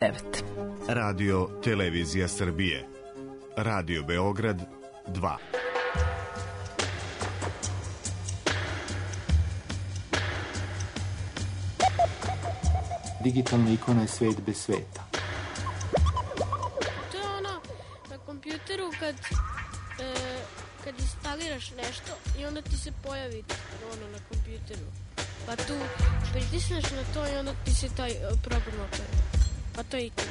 9. Radio Televizija Srbije. Radio Beograd 2. Digitalna ikona je svet bez sveta. To je ono na kompjuteru kad instaliraš nešto i onda ti se pojavi ono na kompjuteru. Pa tu pritisneš na to i onda ti se taj program otvori. Pa to je ikona.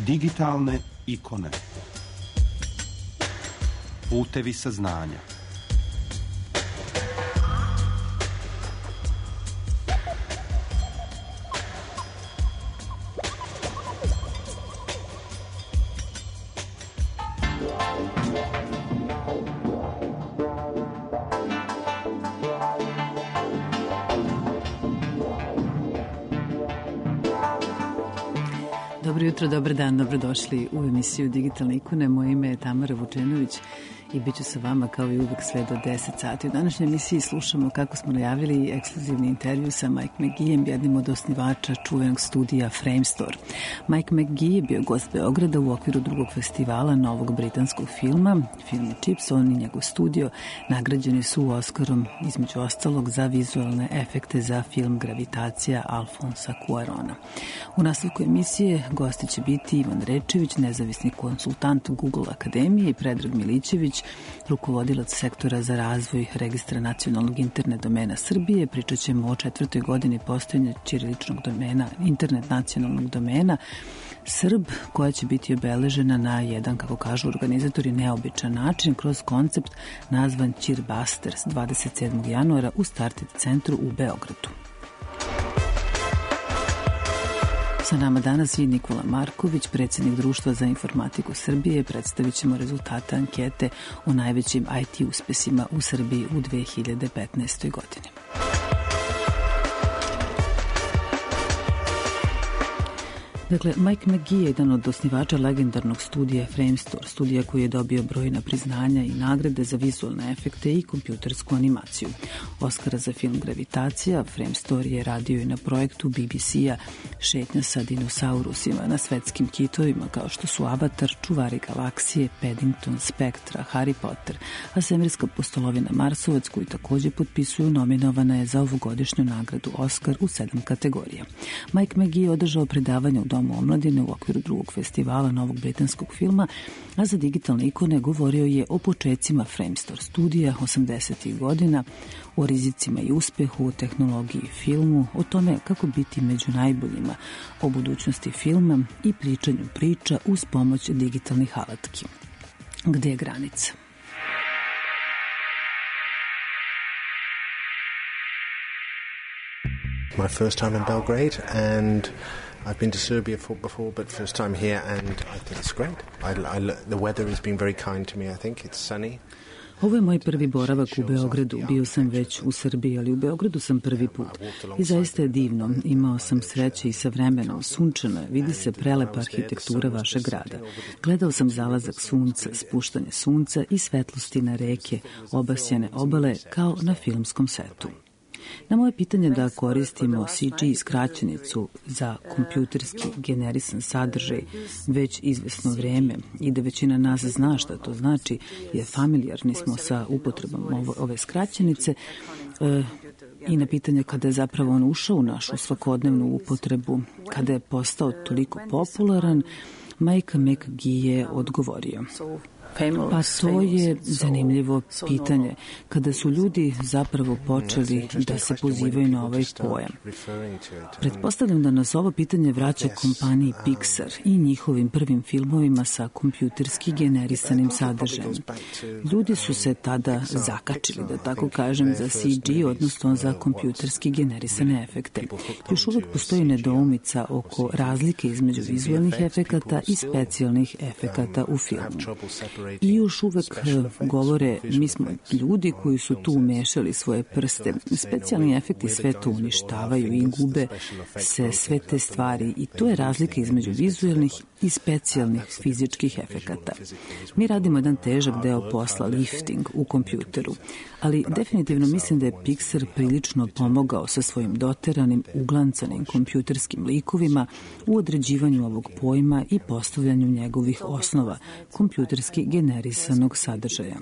Digitalne ikone. Putevi saznanja. Dobro jutro, dobar dan, dobrodošli u emisiju Digitalne ikone. Moje ime je Tamara Vučenović i bit ću sa vama kao i uvek sve do 10 sati. U današnjoj emisiji slušamo, kako smo najavili, ekskluzivni intervju sa Mike McGeejem, jednim od osnivača čuvenog studija Framestore. Mike McGee je bio gost Beograda u okviru drugog festivala novog britanskog filma, film Chips. On i njegov studio nagrađeni su Oskarom, između ostalog, za vizualne efekte za film Gravitacija Alfonsa Cuarona. U nastavku emisije gosti će biti Ivan Rečević, nezavisni konsultant Google Akademije, i Predrag Milićević, rukovodilac sektora za razvoj registra nacionalnog internet domena Srbije. Pričat ćemo o 4. godini postojanja ćiriličnog domena, internet nacionalnog domena Srb, koja će biti obeležena na jedan, kako kažu organizatori, neobičan način kroz koncept nazvan Ćirbasters 27. januara u Started centru u Beogradu. Sa nama danas je Nikola Marković, predsjednik Društva za informatiku Srbije. Predstavit ćemo rezultate ankete o najvećim IT uspesima u Srbiji u 2015. godini. Dakle, Mike McGee je jedan od osnivača legendarnog studija Framestore, studija koji je dobio brojna priznanja i nagrade za vizualne efekte i kompjutersku animaciju. Oskara za film Gravitacija. Framestore je radio i na projektu BBC-a Šetnja sa dinosaurusima na svetskim kitovima kao što su Avatar, Čuvari galaksije, Paddington, Spektra, Harry Potter, a svemirska pustolovina Marsovac, koju takođe potpisuju, nominovana je za ovogodišnju nagradu Oskar u 7 kategorija. Mike McGee je održao predavanje u Domu omladine u okviru drugog festivala novog britanskog filma, a za digitalne ikone govorio je o počecima Framestore studija 80. godina, o rizicima i uspehu, o tehnologiji filmu, o tome kako biti među najboljima, o budućnosti filma i pričanju priča uz pomoć digitalnih alatki. Gde je granica? My first time in Belgrade, and I've been to Serbia before, but first time here, and I think it's great. The weather has been very kind to me, I think. It's sunny. Ovo je moj prvi boravak u Beogradu. Bio sam već u Srbiji, ali u Beogradu sam prvi put. I zaista je divno. Imao sam sreće i sa vremenom. Sunčano je, vidi se prelepa arhitektura vašeg grada. Gledao sam zalazak sunca, spuštanje sunca i svetlosti na reke, obasjane obale kao na filmskom setu. Na moje pitanje da koristimo CG skraćenicu za kompjuterski generisan sadržaj već izvesno vreme i da većina nas zna šta to znači, jer familijarni smo sa upotrebom ove skraćenice, i na pitanje kada je zapravo on ušao u našu svakodnevnu upotrebu, kada je postao toliko popularan, Mike McGee je odgovorio: pa to je zanimljivo pitanje. Kada su ljudi zapravo počeli da se pozivaju na ovaj pojam. Pretpostavljam da nas ovo pitanje vraća kompaniji Pixar i njihovim prvim filmovima sa kompjuterski generisanim sadržajem. Ljudi su se tada zakačili, da tako kažem, za CG, odnosno za kompjuterski generisane efekte. Još uvek postoji nedoumica oko razlike između vizualnih efekata i specijalnih efekata u filmu. I još uvek govore, mi smo ljudi koji su tu umešali svoje prste. Specijalni efekti sve to uništavaju i gube se sve te stvari, i to je razlika između vizualnih i specijalnih fizičkih efekata. Mi radimo jedan težak deo posla, lifting, u kompjuteru, ali definitivno mislim da je Pixar prilično pomogao sa svojim doteranim, uglancanim kompjuterskim likovima u određivanju ovog pojma i postavljanju njegovih osnova, kompjuterski generisanog sadržaja.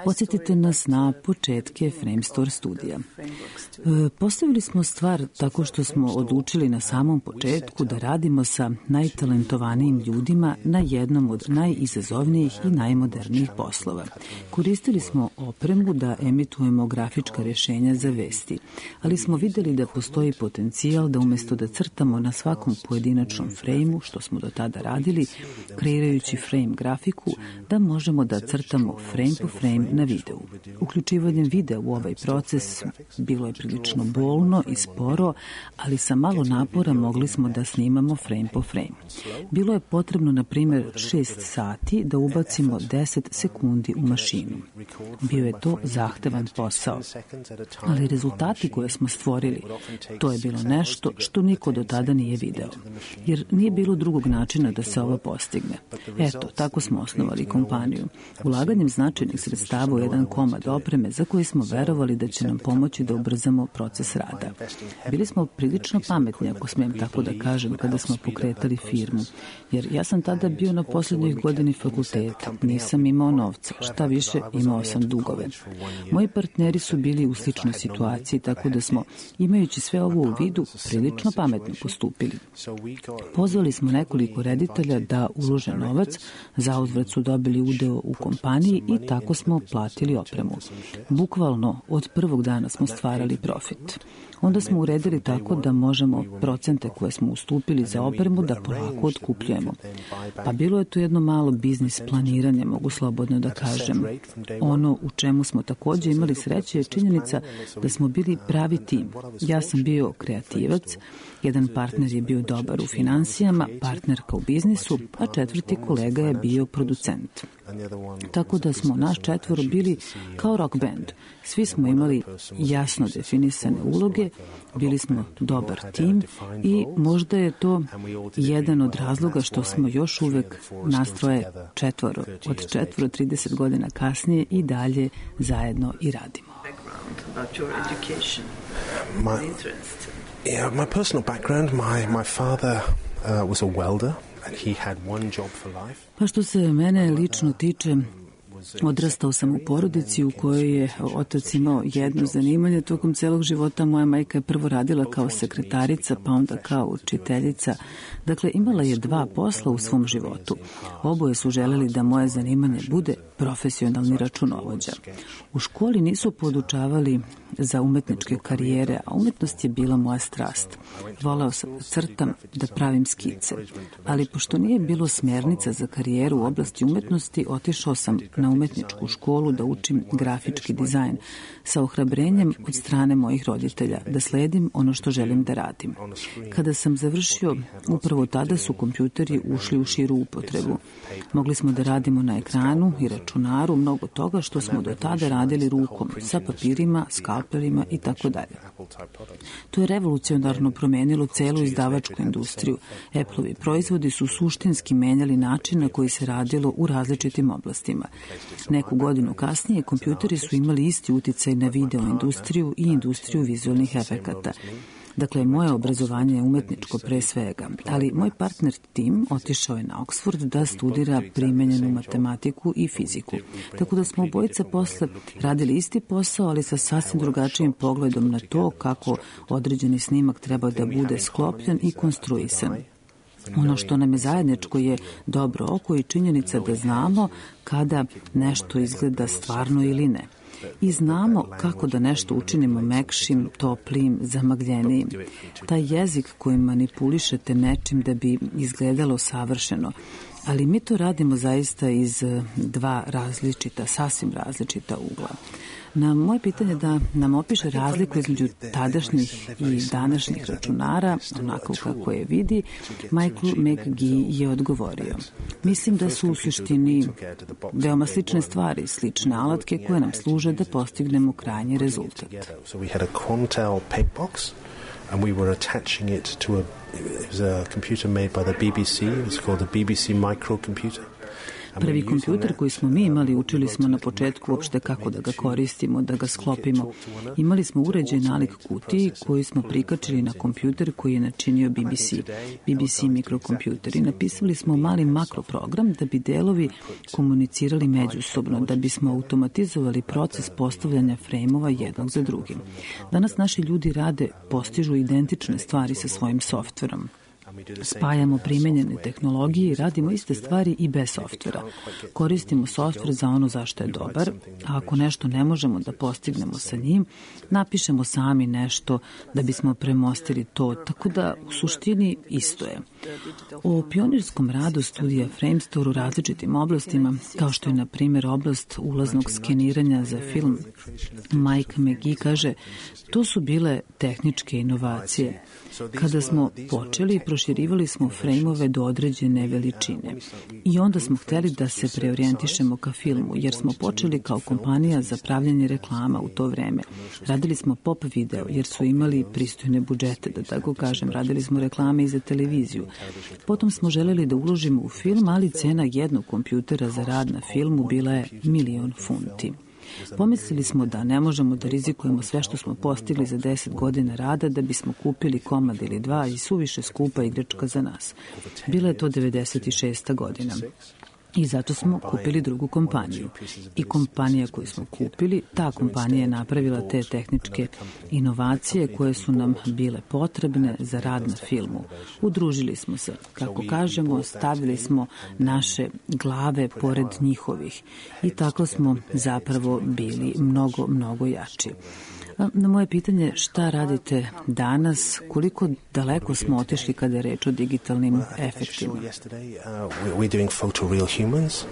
Podsjetite nas na početke Framestore studija. Postavili smo stvar tako što smo odlučili na samom početku da radimo sa najtalentovanijim ljudima na jednom od najizazovnijih i najmodernijih poslova. Koristili smo opremu da emitujemo grafička rješenja za vesti, ali smo vidjeli da postoji potencijal da umjesto da crtamo na svakom pojedinačnom frejmu, što smo do tada radili, kreirajući frame grafiku, da možemo da crtamo frame po frame na videu. Uključivanjem videa u ovaj proces bilo je prilično bolno i sporo, ali sa malo napora mogli smo da snimamo frame po frame. Bilo je potrebno, na primjer, 6 sati da ubacimo 10 sekundi u mašinu. Bio je to zahtevan posao, ali rezultati koje smo stvorili, to je bilo nešto što niko do tada nije video, jer nije bilo drugog načina da se ovo postigne. Eto, tako smo osnovali kompaniju. Ulaganjem značajnih sredstava u jedan komad opreme za koji smo verovali da će nam pomoći da ubrzamo proces rada. Bili smo prilično pametni, ako smijem tako da kažem, kada smo pokretali firmu, jer ja sam tada bio na posljednjoj godini fakulteta, nisam imao novca, šta više, imao sam dugove. Moji partneri su bili u sličnoj situaciji, tako da smo, imajući sve ovo u vidu, prilično pametno postupili. Pozvali smo nekoliko reditelja da ulože novac, zauzvrat su dobili udeo u kompaniji i tako smo platili opremu. Bukvalno, od prvog dana smo stvarali profit. Onda smo uredili tako da možemo procente koje smo ustupili za opremu da polako otkupljujemo. Pa bilo je to jedno malo biznis planiranje, mogu slobodno da kažem. Ono u čemu smo također imali sreće je činjenica da smo bili pravi tim. Ja sam bio kreativac, jedan partner je bio dobar u finansijama, partnerka u biznisu, a četvrti kolega je bio producent. Tako da smo naš četvoro bili kao rock band. Svi smo imali jasno definisane uloge, bili smo dobar tim i možda je to jedan od razloga što smo još uvek nastroje četvoro. Od 30 godina kasnije i dalje zajedno i radimo. My personal background, my father was a welder. And he had one job for life. Pa što se mene lično tiče, odrastao sam u porodici u kojoj je otac imao jedno zanimanje. Tokom celog života moja majka je prvo radila kao sekretarica, pa onda kao učiteljica. Dakle, imala je 2 posla u svom životu. Oboje su želeli da moje zanimanje bude profesionalni računovođa. U školi nisu podučavali za umetničke karijere, a umetnost je bila moja strast. Voleo sam da crtam, da pravim skice. Ali pošto nije bilo smjernica za karijeru u oblasti umetnosti, otišao sam na umetničku školu da učim grafički dizajn sa ohrabrenjem od strane mojih roditelja da sledim ono što želim da radim. Kada sam završio, upravo tada su kompjuteri ušli u širu upotrebu. Mogli smo da radimo na ekranu i računaru mnogo toga što smo do tada radili rukom, sa papirima, skalpelima i tako dalje. To je revolucionarno promenilo celu izdavačku industriju. Apple-ovi proizvodi su suštinski menjali način na koji se radilo u različitim oblastima. Neku godinu kasnije kompjuteri su imali isti uticaj na video industriju i industriju vizualnih efekata. Dakle, moje obrazovanje je umetničko pre svega, ali moj partner Tim otišao je na Oxford da studira primenjenu matematiku i fiziku. Tako da smo obojica posle radili isti posao, ali sa sasvim drugačijim pogledom na to kako određeni snimak treba da bude sklopljen i konstruisan. Ono što nam je zajedničko je dobro oko i činjenica da znamo kada nešto izgleda stvarno ili ne. I znamo kako da nešto učinimo mekšim, toplijim, zamagljenijim. Taj jezik kojim manipulišete nečim da bi izgledalo savršeno. Ali mi to radimo zaista iz 2 različita, sasvim različita ugla. Na moje pitanje da nam opiše razliku između tadašnjih i današnjih računara, onako kako je vidi, Michael McGee je odgovorio. Mislim da su u suštini veoma slične stvari, slične alatke koje nam služe da postignemo krajnji rezultat. and we were attaching it to it was a computer made by the BBC. It was called the BBC microcomputer. Prvi kompjuter koji smo mi imali, učili smo na početku uopšte kako da ga koristimo, da ga sklopimo. Imali smo uređaj nalik kutiji koji smo prikačili na kompjuter koji je načinio BBC mikrokompjuter, i napisali smo mali makroprogram da bi delovi komunicirali međusobno, da bismo automatizovali proces postavljanja frejmova jednog za drugim. Danas naši ljudi postižu identične stvari sa svojim softverom. Spajamo primenjene tehnologije i radimo iste stvari i bez softvera. Koristimo softver za ono zašto je dobar, a ako nešto ne možemo da postignemo sa njim, napišemo sami nešto da bismo premostili to, tako da u suštini isto je. O pionirskom radu studija Framestore u različitim oblastima, kao što je na primjer oblast ulaznog skeniranja za film, Mike McGee kaže, to su bile tehničke inovacije. Kada smo počeli, proširivali smo frejmove do određene veličine i onda smo hteli da se preorijentišemo ka filmu, jer smo počeli kao kompanija za pravljanje reklama u to vreme. Radili smo pop video, jer su imali pristojne budžete, da tako kažem. Radili smo reklame i za televiziju. Potom smo želeli da uložimo u film, ali cena jednog kompjutera za rad na filmu bila je 1.000.000 funti. Pomislili smo da ne možemo da rizikujemo sve što smo postigli za 10 godina rada da bismo kupili komad ili dva i suviše skupa igračka za nas. Bila je to 96. godina. I zato smo kupili drugu kompaniju. I kompanija koju smo kupili, ta kompanija je napravila te tehničke inovacije koje su nam bile potrebne za rad na filmu. Udružili smo se, kako kažemo, stavili smo naše glave pored njihovih. I tako smo zapravo bili mnogo, mnogo jači. Na moje pitanje šta radite danas, koliko daleko smo otišli kada je reč o digitalnim efektima? We're doing photoreal humans.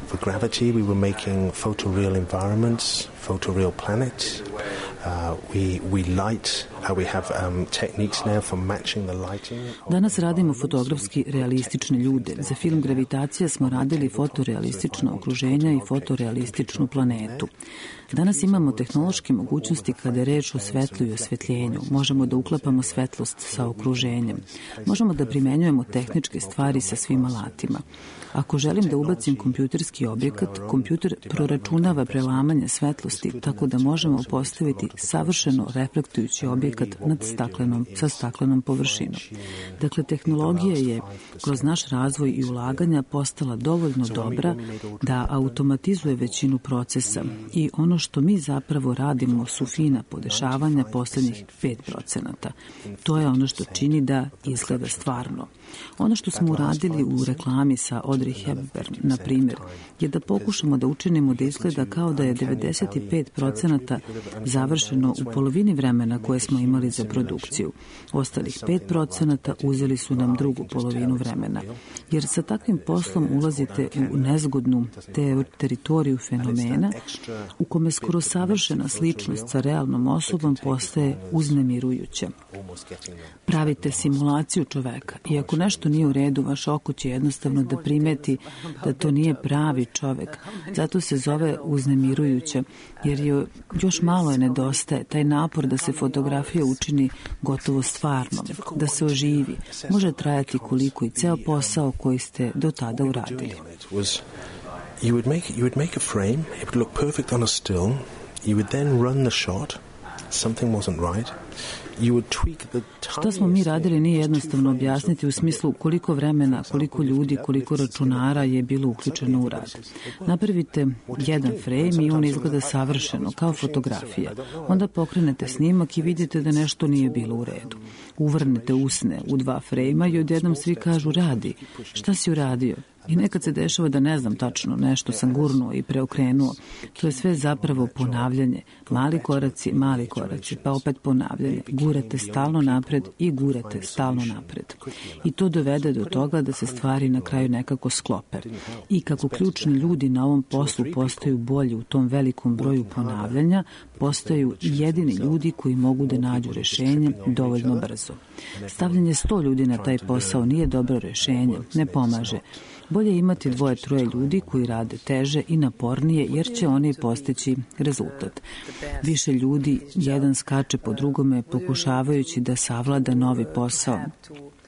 For Gravity we were making photoreal environments, photoreal planets. We light. We have techniques now for matching the lighting. Danas radimo fotografski realistične ljude. Za film Gravitacija smo radili fotorealistično okruženja i fotorealističnu planetu. Danas imamo tehnološke mogućnosti kada je reč o svetlu i osvetljenju. Možemo da uklapamo svetlost sa okruženjem. Možemo da primenjujemo tehničke stvari sa svim alatima. Ako želim da ubacim kompjuterski objekat, kompjuter proračunava prelamanje svetlosti tako da možemo postaviti savršeno reflektujući objekat sa staklenom površinom. Dakle, tehnologija je kroz naš razvoj i ulaganja postala dovoljno dobra da automatizuje većinu procesa i ono što mi zapravo radimo su fina podešavanja poslednjih 5%. To je ono što čini da izgleda stvarno. Ono što smo uradili u reklami sa Audrey Hepburn, na primjer, je da pokušamo da učinimo da izgleda kao da je 95% završeno u polovini vremena koje smo imali za produkciju. Ostalih 5% uzeli su nam drugu polovinu vremena. Jer sa takvim poslom ulazite u nezgodnu teritoriju fenomena u kome skoro savršena sličnost sa realnom osobom postaje uznemirujuća. Pravite simulaciju čoveka i ako nešto nije u redu, vaš oko će jednostavno da primeti da to nije pravi čovek. Zato se zove uznemirujuća, jer još malo je nedostaje. Taj napor da se fotografija učini gotovo stvarnom, da se oživi, može trajati koliko i ceo posao koji ste do tada uradili. You would make a frame, it would look perfect on a still, you would then run the shot, something wasn't right. Šta smo mi radili nije jednostavno objasniti u smislu koliko vremena, koliko ljudi, koliko računara je bilo uključeno u rad. Napravite jedan frame i on izgleda savršeno, kao fotografija. Onda pokrenete snimak i vidite da nešto nije bilo u redu. Uvrnete usne u 2 frejma i odjednom svi kažu radi. Šta si uradio? I nekad se dešava da ne znam tačno, nešto sam gurnuo i preokrenuo. To je sve zapravo ponavljanje. Mali koraci, pa opet ponavljanje. Gurate stalno napred i gurate stalno napred. I to dovede do toga da se stvari na kraju nekako sklope. I kako ključni ljudi na ovom poslu postaju bolji u tom velikom broju ponavljanja, postaju jedini ljudi koji mogu da nađu rešenje dovoljno brzo. Stavljanje 100 ljudi na taj posao nije dobro rešenje, ne pomaže. Bolje imati 2-3 ljudi koji rade teže i napornije jer će oni postići rezultat. Više ljudi, jedan skače po drugome pokušavajući da savlada novi posao.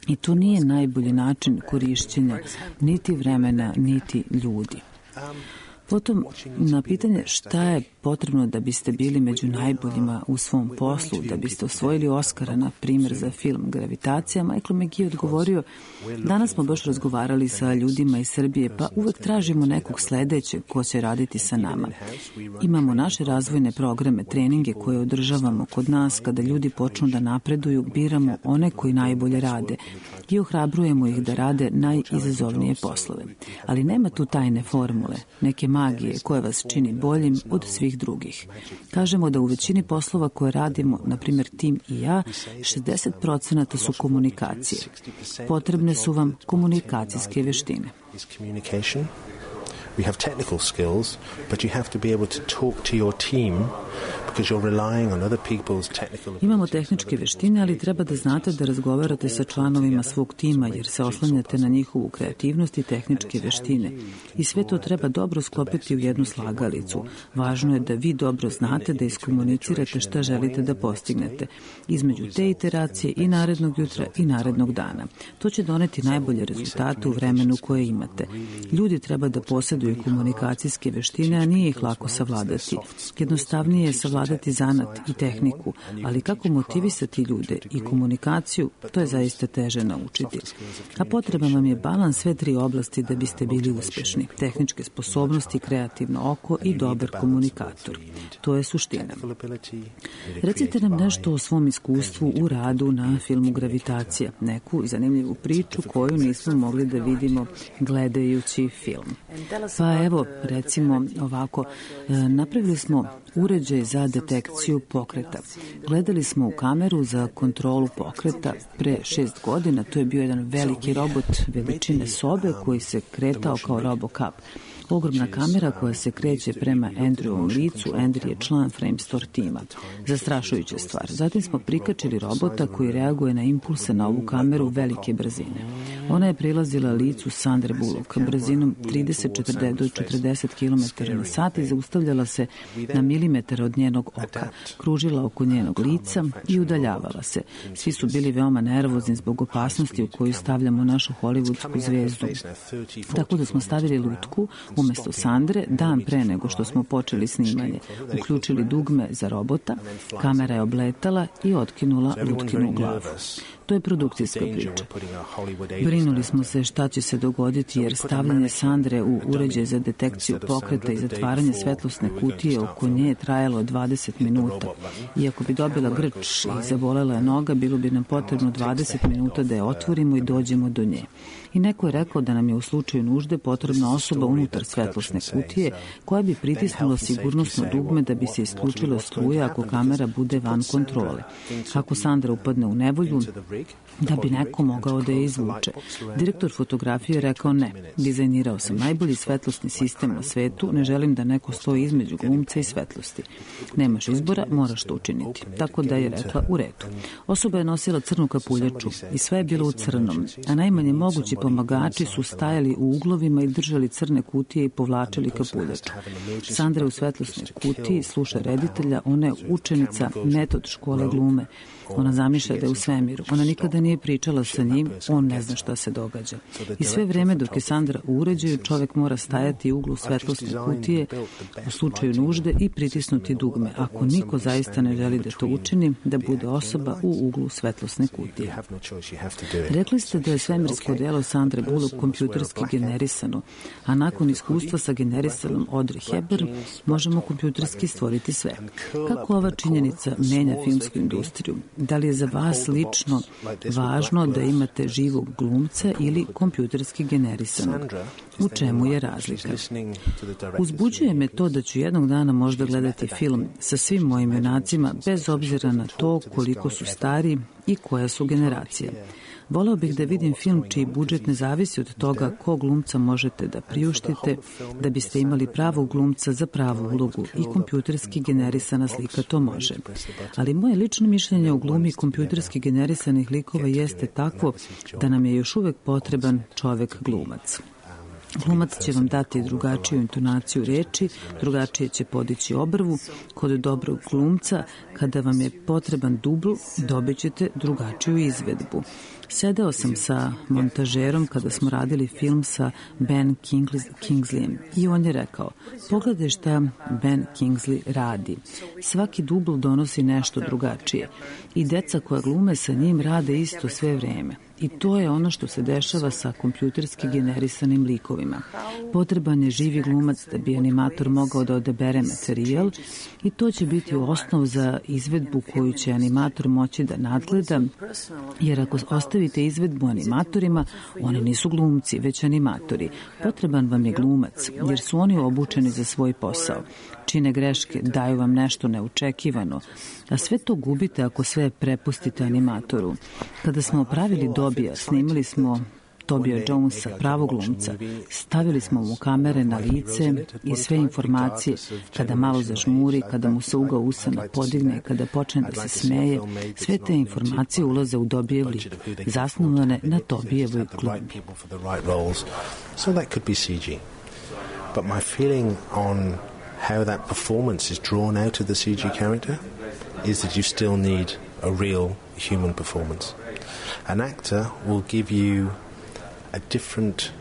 I to nije najbolji način korišćenja niti vremena, niti ljudi. Potom, na pitanje šta je potrebno da biste bili među najboljima u svom poslu, da biste osvojili Oskara, na primjer, za film Gravitacija, Michael McGee odgovorio: danas smo baš razgovarali sa ljudima iz Srbije, pa uvek tražimo nekog sledećeg ko će raditi sa nama. Imamo naše razvojne programe, treninge koje održavamo kod nas. Kada ljudi počnu da napreduju, biramo one koji najbolje rade i ohrabrujemo ih da rade najizazovnije poslove. Ali nema tu tajne formule, neke magije koja vas čini boljim od svih drugih. Kažemo da u većini poslova koje radimo, na primjer tim i ja, 60% su komunikacije. Potrebne su vam komunikacijske veštine. We have technical skills, but you have to be able to talk to your team because you're relying on other people's technical. Imamo tehničke veštine, ali treba da znate da razgovarate sa članovima svog tima jer se oslanjate na njihovu kreativnost i tehničke veštine. I sve to treba dobro sklopiti u jednu slagalicu. Važno je da vi dobro znate da iskomunicirate šta želite da postignete između te iteracije i narednog jutra i narednog dana. To će doneti najbolje rezultate u vremenu koje imate. Ljudi treba da posjeduju komunikacijske veštine, a nije ih lako savladati. Jednostavnije je savladati zanat i tehniku, ali kako motivisati ljude i komunikaciju, to je zaista teže naučiti. A potreban vam je balans sve 3 oblasti da biste bili uspešni. Tehničke sposobnosti, kreativno oko i dobar komunikator. To je suština. Recite nam nešto o svom iskustvu u radu na filmu Gravitacija, neku zanimljivu priču koju nismo mogli da vidimo gledajući film. Pa evo, recimo ovako, napravili smo uređaj za detekciju pokreta. Gledali smo u kameru za kontrolu pokreta pre 6 godina. To je bio jedan veliki robot veličine sobe koji se kretao kao RoboCup. Ogromna kamera koja se kreće prema Andrewovom licu. Andrew je član Framestore tima. Zastrašujuća stvar. Zatim smo prikačili robota koji reaguje na impulse na ovu kameru velike brzine. Ona je prilazila licu Sandre Bullock brzinom 30 do 40 km na sat i zaustavljala se na milimetar od njenog oka, kružila oko njenog lica i udaljavala se. Svi su bili veoma nervozni zbog opasnosti u koju stavljamo našu hollywoodsku zvezdu. Tako da smo stavili lutku umesto Sandre dan pre nego što smo počeli snimanje. Uključili dugme za robota, kamera je obletala i otkinula lutkinu glavu. To je produkcijska priča. Brinuli smo se šta će se dogoditi jer stavljanje Sandre u uređaj za detekciju pokreta i zatvaranje svetlosne kutije oko nje je trajalo 20 minuta. Iako bi dobila grč i zabolela je noga, bilo bi nam potrebno 20 minuta da je otvorimo i dođemo do nje. I neko je rekao da nam je u slučaju nužde potrebna osoba unutar svetlosne kutije koja bi pritisnula sigurnosno dugme da bi se isključila struja ako kamera bude van kontrole. Ako Sandra upadne u nevolju, da bi neko mogao da je izvuče. Direktor fotografije je rekao ne. Dizajnirao sam najbolji svetlosni sistem na svetu, ne želim da neko stoji između glumca i svetlosti. Nemaš izbora, moraš to učiniti. Tako da je rekla u redu. Osoba je nosila crnu kapuljaču i sve je bilo u crnom, a najmanje mogući pomagači su stajali u uglovima i držali crne kutije i povlačili kapuljaču. Sandra u svetlosnoj kutiji sluša reditelja, ona je učenica metod škole glume. Ona zamišlja da je u svemiru. Ona nikada nije pričala sa njim, on ne zna šta se događa. I sve vreme dok je Sandra u uređaju, čovek mora stajati u uglu svetlosne kutije u slučaju nužde i pritisnuti dugme. Ako niko zaista ne želi da to učini, da bude osoba u uglu svetlosne kutije. Rekli ste da je svemirski odelo Sandre Bullock kompjuterski generisano, a nakon iskustva sa generisanom Audrey Hepburn možemo kompjuterski stvoriti sve. Kako ova činjenica menja filmsku industriju? Da li je za vas lično važno da imate živog glumca ili kompjuterski generisanog? U čemu je razlika? Uzbuđuje me to da ću jednog dana možda gledati film sa svim mojim junacima bez obzira na to koliko su stari i koja su generacija. Voleo bih da vidim film čiji budžet ne zavisi od toga kog glumca možete da priuštite, da biste imali pravog glumca za pravu ulogu i kompjuterski generisana slika to može. Ali moje lično mišljenje o glumi kompjuterski generisanih likova jeste takvo da nam je još uvek potreban čovek glumac. Glumac će vam dati drugačiju intonaciju reči, drugačije će podići obrvu. Kod dobrog glumca, kada vam je potreban dubl, dobit ćete drugačiju izvedbu. Sedeo sam sa montažerom kada smo radili film sa Ben Kingsleyem i on je rekao, pogledaj šta Ben Kingsley radi. Svaki dubl donosi nešto drugačije i deca koja glume sa njim rade isto sve vreme. I to je ono što se dešava sa kompjuterski generisanim likovima. Potreban je živi glumac da bi animator mogao da odabere materijal i to će biti osnov za izvedbu koju će animator moći da nadgleda, jer ako ostavite izvedbu animatorima, oni nisu glumci, već animatori. Potreban vam je glumac, jer su oni obučeni za svoj posao. Čine greške, daju vam nešto neočekivano, a sve to gubite ako sve prepustite animatoru. Kada smo pravili Dobija, snimili smo Tobija Jonesa, pravog glumca. Stavili smo mu kamere na lice i sve informacije, kada malo zažmuri, kada mu se ugao usana podigne, kada počne da se smeje, sve te informacije ulaze u Dobijev lik, zasnovane na Tobijevoj glumi. So that could be CG. But my feeling on how that performance is drawn out of the CG character is that you still need a real human performance. An actor will give you a different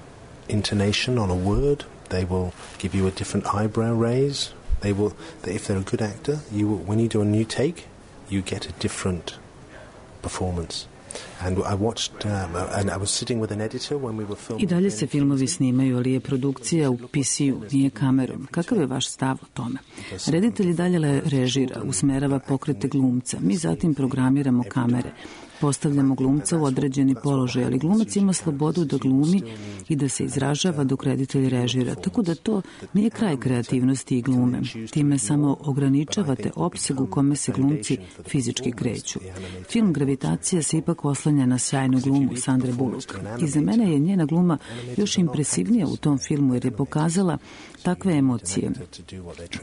intonation on a word. They will give you a different eyebrow raise. If they're a good actor, when you do a new take, you get a different performance. I dalje se filmovi snimaju, ali je produkcija u PC-u, nije kamerom. Kakav je vaš stav o tome? Reditelj dalje režira, usmerava pokrete glumca. Mi zatim programiramo kamere. Postavljamo glumca u određeni položaj, ali glumac ima slobodu da glumi i da se izražava dok reditelj režira, tako da to nije kraj kreativnosti i glume. Time samo ograničavate opseg u kome se glumci fizički kreću. Film Gravitacija se ipak oslanja na sjajnu glumu Sandre Bullock. I za mene je njena gluma još impresivnija u tom filmu jer je pokazala takve emocije.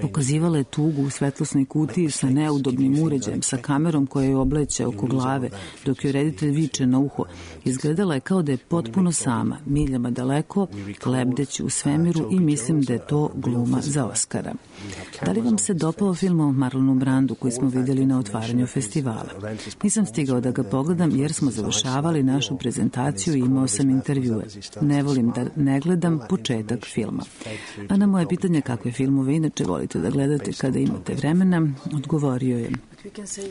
Pokazivala je tugu u svetlosnoj kutiji sa neudobnim uređajem, sa kamerom koja je obleće oko glave, dok joj reditelj viče na uho. Izgledala je kao da je potpuno sama, miljama daleko, lebdeći u svemiru i mislim da je to gluma za Oskara. Da li vam se dopao film o Marlonu Brandu koji smo vidjeli na otvaranju festivala? Nisam stigao da ga pogledam jer smo završavali našu prezentaciju i imao sam intervjue. Ne volim da ne gledam početak filma. A na moje pitanje kakve filmove inače volite da gledate kada imate vremena, odgovorio je: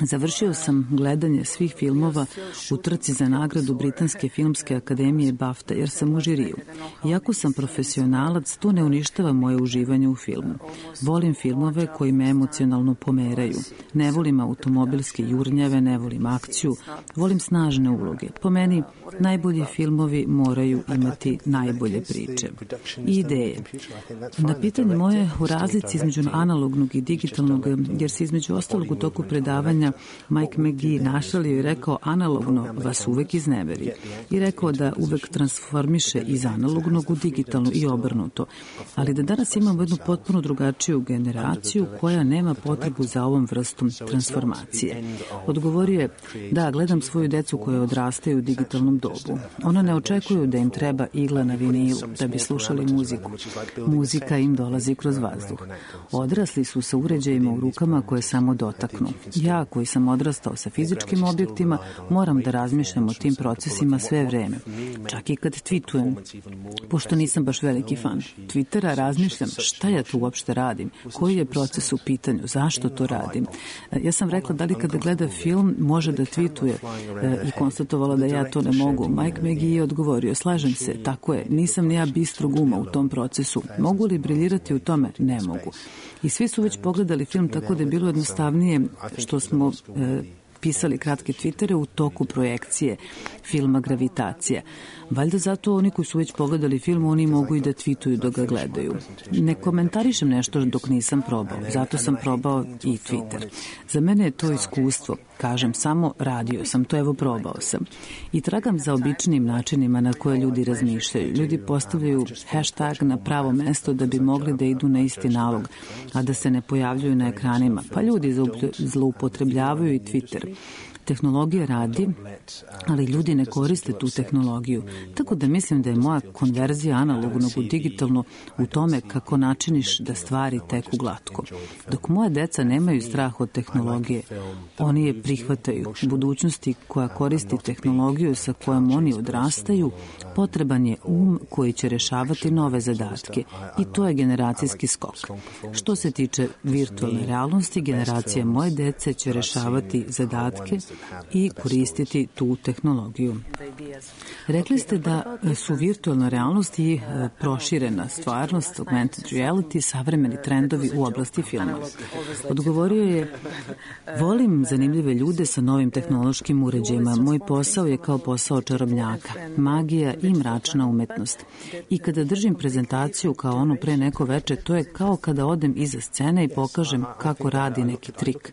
završio sam gledanje svih filmova u trci za nagradu Britanske filmske akademije BAFTA jer sam u žiriju. Iako sam profesionalac, to ne uništava moje uživanje u filmu. Volim filmove koji me emocionalno pomeraju. Ne volim automobilske jurnjave, ne volim akciju, volim snažne uloge. Po meni, najbolji filmovi moraju imati najbolje priče i ideje. Na pitanje moje u razlici između analognog i digitalnog, jer se između ostalog u toku predavanja Mike McGee našalio i rekao analogno vas uvek izneveri i rekao da uvek transformiše iz analognog u digitalno i obrnuto, ali da danas imamo jednu potpuno drugačiju generaciju koja nema potrebu za ovom vrstom transformacije. Odgovorio je: da, gledam svoju decu koja odrastaju u digitalnom dobu. Ona ne očekuju da im treba igla na vinilu da bi slušali muziku. Muzika im dolazi kroz vazduh. Odrasli su sa uređajima u rukama koje samo dotaknu. Ja, koji sam odrastao sa fizičkim objektima, moram da razmišljam o tim procesima sve vreme. Čak i kad tweetujem. Pošto nisam baš veliki fan Twittera, razmišljam šta ja tu uopšte radim, koji je proces u pitanju, zašto to radim. Ja sam rekla da li kada gleda film može da tweetuje i konstatovala da ja to ne mogu. Mike McGee je odgovorio: slažem se, tako je, nisam ni ja bistrog uma u tom procesu. Mogu li briljirati u tome? Ne mogu. I svi su već pogledali film, tako da je bilo jednostavnije što smo pisali kratke Twittere u toku projekcije filma Gravitacija. Valjda zato oni koji su već pogledali film, oni mogu i da tweetuju dok ga gledaju. Ne komentarišem nešto dok nisam probao, zato sam probao i Twitter. Za mene je to iskustvo. Kažem samo, radio sam to, evo probao sam. I tragam za običnim načinima na koje ljudi razmišljaju. Ljudi postavljaju hashtag na pravo mesto da bi mogli da idu na isti nalog, a da se ne pojavljuju na ekranima. Pa ljudi zloupotrebljavaju i Twitter. Tehnologija radi, ali ljudi ne koriste tu tehnologiju. Tako da mislim da je moja konverzija analognog u digitalno u tome kako načiniš da stvari teku glatko. Dok moja deca nemaju strah od tehnologije, oni je prihvataju. U budućnosti koja koristi tehnologiju sa kojom oni odrastaju, potreban je koji će rešavati nove zadatke i to je generacijski skok. Što se tiče virtualne realnosti, generacija moje dece će rešavati zadatke i koristiti tu tehnologiju. Rekli ste da su virtualna realnost i proširena stvarnost, augmented reality, savremeni trendovi u oblasti filma. Odgovorio je, volim zanimljive ljude sa novim tehnološkim uređajima. Moj posao je kao posao čarobnjaka, magija i mračna umetnost. I kada držim prezentaciju kao onu pre neko veče, to je kao kada odem iza scene i pokažem kako radi neki trik.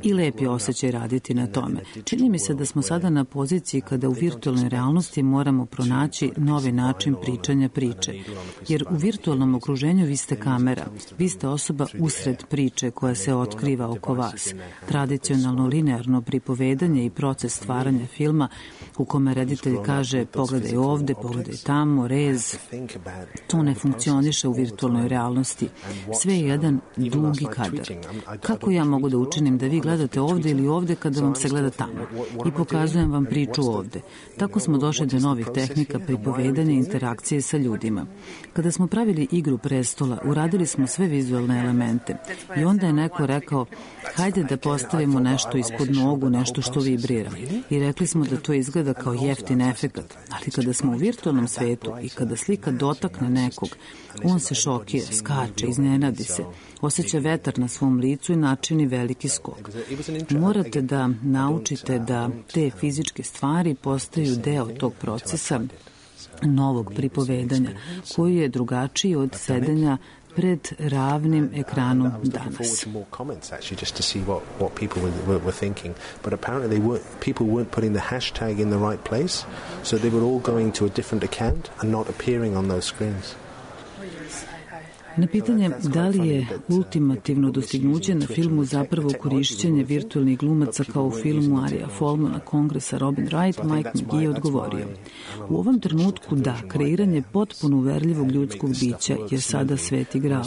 I lep je osjećaj raditi na tome. Čini mi se da smo sada na poziciji kada u virtualnoj realnosti moramo pronaći novi način pričanja priče. Jer u virtualnom okruženju vi ste kamera, vi ste osoba usred priče koja se otkriva oko vas. Tradicionalno linearno pripovedanje i proces stvaranja filma u kome reditelj kaže pogledaj ovde, pogledaj tamo, rez. To ne funkcioniše u virtualnoj realnosti. Sve je jedan dugi kadar. Kako ja mogu da učinim da vi gledate ovde ili ovde kada vam se gleda tamo? I pokazujem vam priču ovde. Tako smo došli do novih tehnika pripovedanja i interakcije sa ljudima. Kada smo pravili Igru prestola, uradili smo sve vizualne elemente. I onda je neko rekao, hajde da postavimo nešto ispod nogu, nešto što vibrira. I rekli smo da to izgleda kao jeftin efekat. Ali kada smo u virtualnom svetu i kada slika dotakne nekog, on se šokira, skače, iznenadi se, osjeća vetar na svom licu i načini veliki skok. Morate da naučite da te fizičke stvari postaju deo tog procesa novog pripovedanja, koji je drugačiji od sedenja pred ravnim ekranom danas. But apparently people weren't putting the hashtag in the right place, so they were all going to a different account and not appearing on those screens. Na pitanje da li je ultimativno dostignuće na filmu zapravo korišćenje virtualnih glumaca kao u filmu Arija Folmana, Kongresa, Robin Wright, Mike McGee je odgovorio. U ovom trenutku da, kreiranje potpuno uverljivog ljudskog bića je sada sveti gral.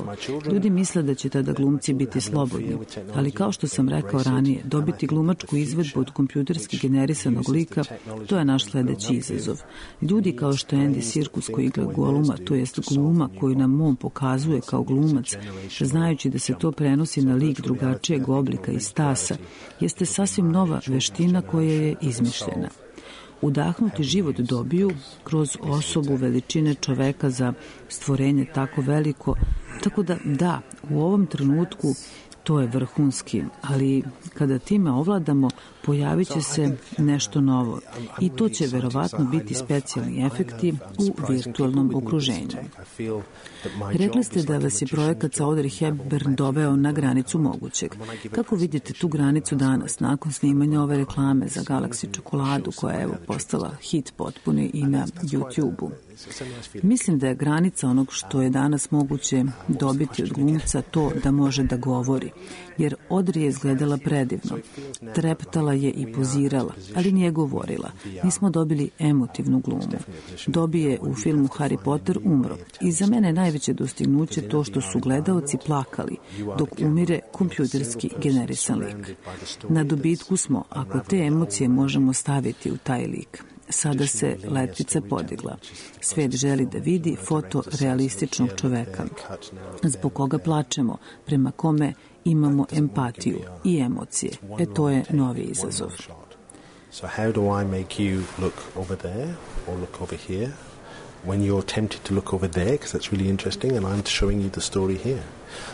Ljudi misle da će tada glumci biti slobodni, ali kao što sam rekao ranije, dobiti glumačku izvedbu od kompjuterski generisanog lika, to je naš sledeći izazov. Ljudi kao što je Andy Serkis koji igra Goluma, to jest gluma koju nam on pokazuje kao glumac, znajući da se to prenosi na lik drugačijeg oblika i stasa, jeste sasvim nova veština koja je izmišljena. Udahnuti život dobiju kroz osobu veličine čoveka za stvorenje tako veliko, tako da, u ovom trenutku to je vrhunski, ali kada time ovladamo, pojavit će se nešto novo i to će verovatno biti specijalni efekti u virtualnom okruženju. Rekli ste da vas je projekat sa Audrey Hepburn doveo na granicu mogućeg. Kako vidite tu granicu danas, nakon snimanja ove reklame za Galaxy čokoladu, koja je postala hit potpuni i na YouTube-u? Mislim da je granica onog što je danas moguće dobiti od glumca to da može da govori, jer Audrey je izgledala predivno. Treptala je i pozirala, ali nije govorila. Nismo dobili emotivnu glumu. Dobije u filmu Harry Potter umro. I za mene je najveće dostignuće to što su gledaoci plakali, dok umire kompjuterski generisan lik. Na dobitku smo, ako te emocije možemo staviti u taj lik. Sada se letvica podigla. Svet želi da vidi fotorealističnog čoveka, zbog koga plačemo, prema kome imamo empatiju i emocije. To je novi izazov. So how do I make you look over there or look over here when you're tempted to look over there, because that's really interesting, and I'm showing you the story here.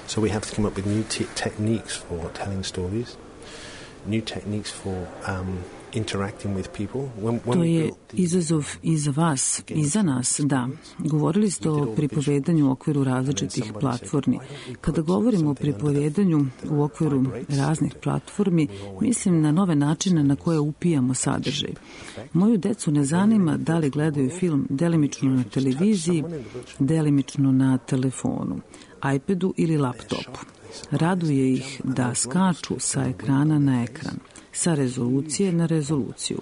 So we have to come up with new techniques for telling stories, new techniques for interacting with people. To je izazov i za vas, i za nas, da. Govorili ste o pripovedanju u okviru različitih platformi. Kada govorimo o pripovedanju u okviru raznih platformi, mislim na nove načine na koje upijamo sadržaj. Moju decu ne zanima da li gledaju film delimično na televiziji, delimično na telefonu, iPadu ili laptopu. Raduje ih da skaču sa ekrana na ekran. sa rezolucije na rezoluciju.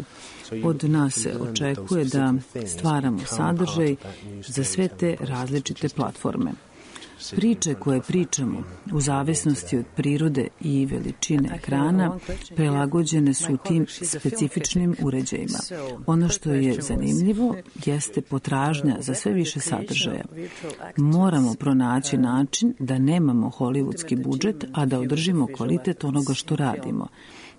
Od nas se očekuje da stvaramo sadržaj za sve te različite platforme. Priče koje pričamo, u zavisnosti od prirode i veličine ekrana, prilagođene su tim specifičnim uređajima. Ono što je zanimljivo jeste potražnja za sve više sadržaja. Moramo pronaći način da nemamo hollywoodski budžet, a da održimo kvalitet onoga što radimo.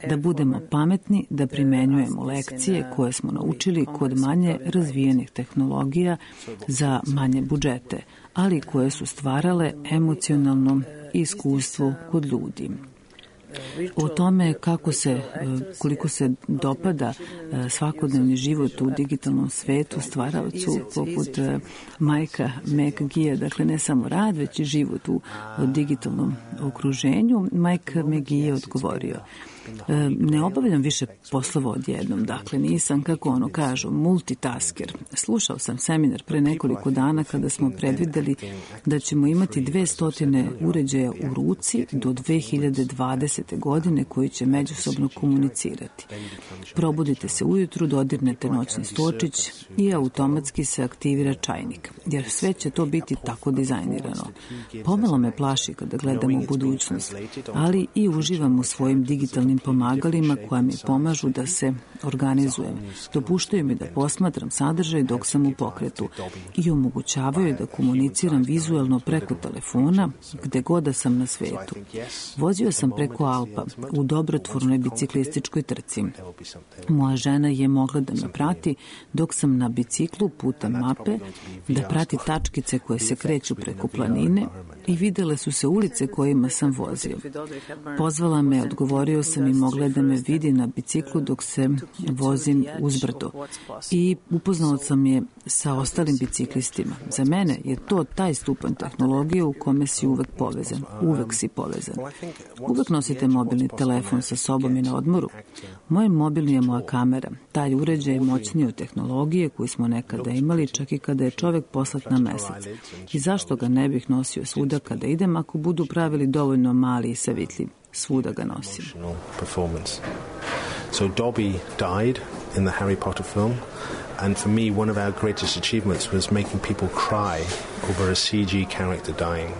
Da budemo pametni, da primenjujemo lekcije koje smo naučili kod manje razvijenih tehnologija za manje budžete, ali koje su stvarale emocionalno iskustvo kod ljudi. O tome koliko se dopada svakodnevni život u digitalnom svetu stvaraocu poput Mikea McGee, dakle ne samo rad, već i život u digitalnom okruženju, Mike McGee je odgovorio: ne obavljam više poslova odjednom, dakle nisam, kako ono kažu, multitasker. Slušao sam seminar pre nekoliko dana kada smo predvideli da ćemo imati 200 uređaja u ruci do 2020. godine koji će međusobno komunicirati. Probudite se ujutru, dodirnete noćni stočić i automatski se aktivira čajnik, jer sve će to biti tako dizajnirano. Pomalo me plaši kada gledam u budućnost, ali i uživam u svojim digitalnim pomagalima koja mi pomažu da se organizujem. Dopuštaju mi da posmatram sadržaj dok sam u pokretu i omogućavaju da komuniciram vizuelno preko telefona gde god da sam na svetu. Vozio sam preko Alpa u dobrotvornoj biciklističkoj trci. Moja žena je mogla da me prati dok sam na biciklu putem mape, da prati tačkice koje se kreću preko planine i videle su se ulice kojima sam vozio. Pozvala me, odgovorio sam i mogla da me vidi na biciklu dok se vozim uzbrdo. I upoznao sam je sa ostalim biciklistima. Za mene je to taj stupanj tehnologije u kome si uvek povezan. Uvek si povezan. Uvek nosite mobilni telefon sa sobom i na odmoru. Moj mobilni je moja kamera. Taj uređaj je moćniji od tehnologije koju smo nekada imali, čak i kada je čovek poslat na mesec. I zašto ga ne bih nosio svuda kada idem ako budu pravili dovoljno mali i savitljiv? Svuda ga nosim. So Dobby died in the Harry Potter film, and for me one of our greatest achievements was making people cry over a CG character dying.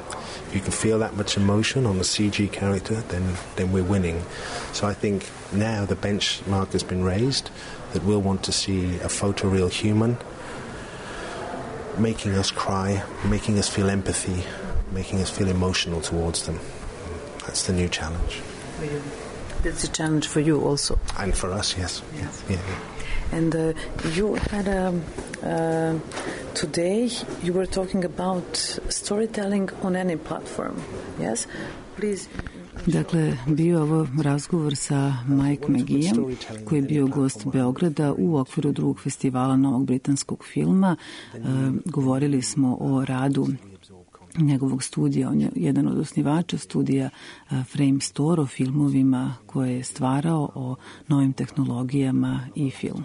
If you can feel that much emotion on a CG character, then we're winning. So I think now the benchmark has been raised that we'll want to see a photoreal human making us cry, making us feel empathy, making us feel emotional towards them. That's the new challenge. That's a challenge for you also. And for us, yes. Yeah. And you had today you were talking about storytelling on any platform. Yes? Please. Dakle, bio ovo razgovor sa Mike McGeeom, koji je bio gost Beograda u okviru drugog festivala novog britanskog filma. Govorili smo o radu njegovog studija. On je jedan od osnivača studija Frame Store, o filmovima koje je stvarao, o novim tehnologijama i filmu.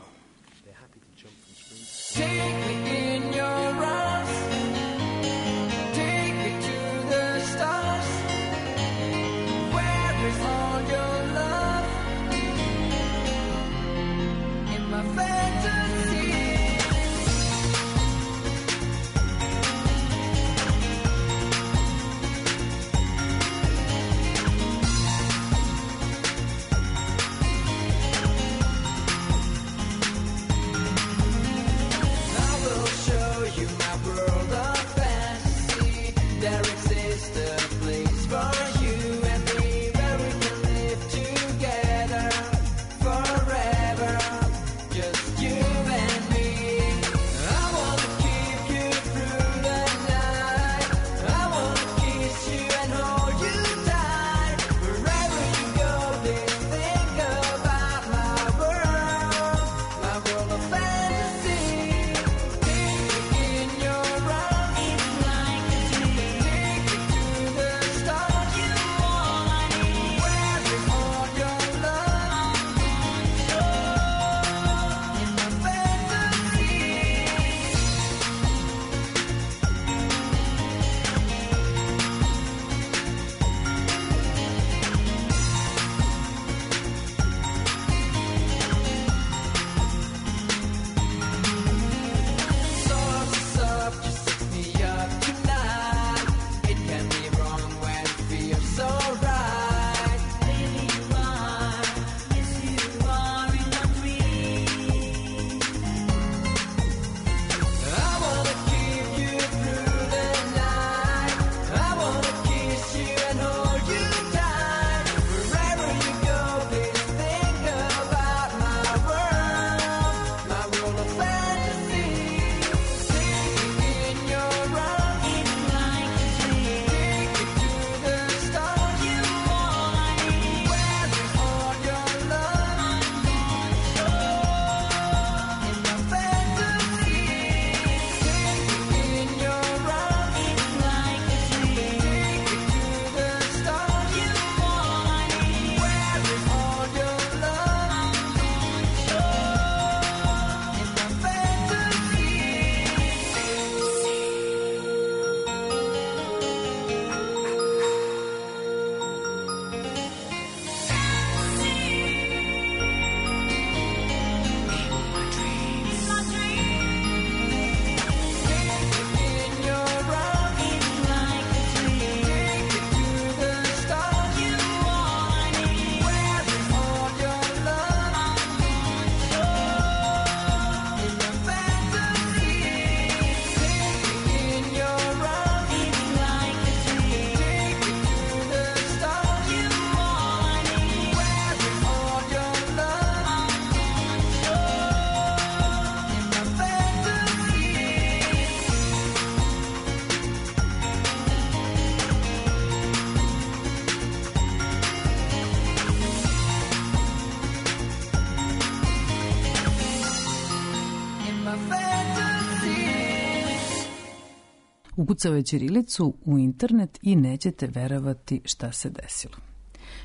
Ukucao je ćirilicu u internet i nećete verovati šta se desilo.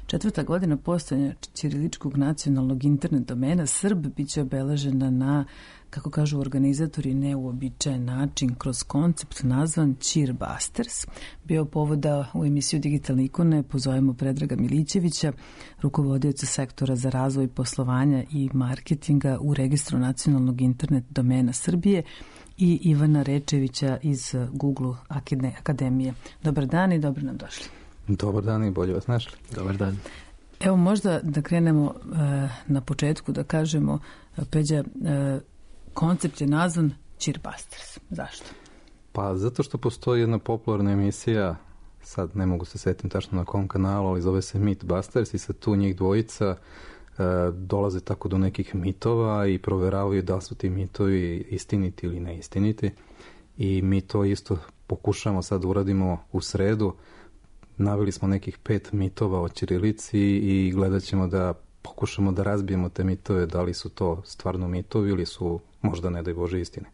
4. godina postojanja ćiriličkog nacionalnog internet domena Srb biće obeležena na, kako kažu organizatori, neuobičajen način kroz koncept nazvan Cheerbusters. Bio povoda u emisiju Digitalne ikone pozovemo Predraga Milićevića, rukovodioca sektora za razvoj poslovanja i marketinga u registru nacionalnog internet domena Srbije, i Ivana Rečevića iz Google Akademije. Dobar dan i dobro nam došli. Dobar dan i bolje vas našli. Dobar dan. Evo možda da krenemo na početku da kažemo, Peđa, koncept je nazvan Cheerbusters. Zašto? Pa zato što postoji jedna popularna emisija, sad ne mogu se setim tačno na kom kanalu, ali zove se Mythbusters i sad tu njih dvojica dolaze tako do nekih mitova i proveravaju da su ti mitovi istiniti ili neistiniti. I mi to isto pokušamo sad uradimo u sredu. Naveli smo nekih 5 mitova o ćirilici i gledat ćemo da pokušamo da razbijemo te mitove, da li su to stvarno mitovi ili su možda, ne daj Bože, istine.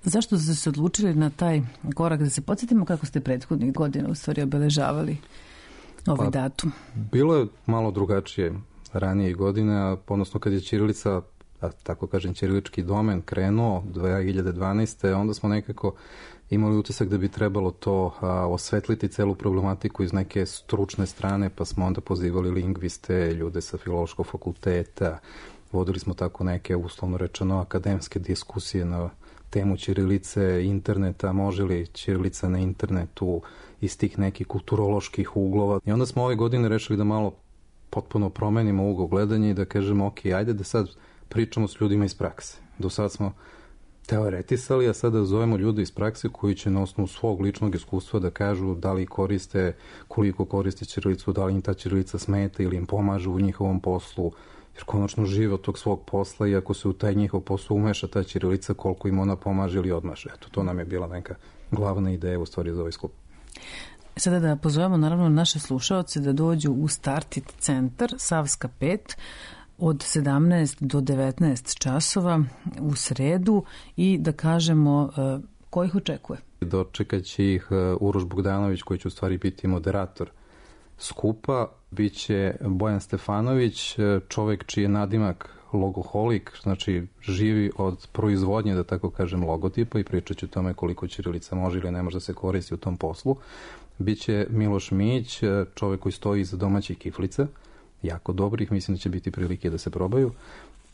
Zašto ste se odlučili na taj korak? Da se podsjetimo kako ste prethodnih godina u stvari obeležavali ovaj datum. Bilo je malo drugačije ranije godine, odnosno kad je ćirilica, tako kažem, ćirilički domen krenuo 2012. onda smo nekako imali utisak da bi trebalo to osvetliti celu problematiku iz neke stručne strane, pa smo onda pozivali lingviste, ljude sa filološkog fakulteta, vodili smo tako neke, uslovno rečeno, akademske diskusije na temu ćirilice, interneta, može li ćirilica na internetu, iz tih nekih kulturoloških uglova. I onda smo ove godine rešili da malo potpuno promenimo ugao gledanja i da kažemo, ok, ajde da sad pričamo s ljudima iz prakse. Do sad smo teoretisali, a sada zovemo ljude iz prakse koji će na osnovu svog ličnog iskustva da kažu da li koriste, koliko koriste ćirilicu, da li im ta ćirilica smeta ili im pomaže u njihovom poslu, jer konačno žive od tog svog posla i ako se u taj njihov posao umeša ta ćirilica, koliko im ona pomaže ili odmaže. Eto, to nam je bila neka glavna ideja u stvari za ovaj skup. Sada da pozovemo naravno naše slušaoce da dođu u Startit centar Savska 5 od 17 do 19 časova u sredu i da kažemo ko ih očekuje. Dočekat će ih Uroš Bogdanović koji će u stvari biti moderator skupa. Biće Bojan Stefanović, čovek čiji je nadimak logoholik, znači živi od proizvodnje, da tako kažem, logotipa i pričat će o tome koliko ćirilica može ili ne može da se koristi u tom poslu. Biće Miloš Mijić, čovek koji stoji iza domaćih kiflica, jako dobrih, mislim da će biti prilike da se probaju.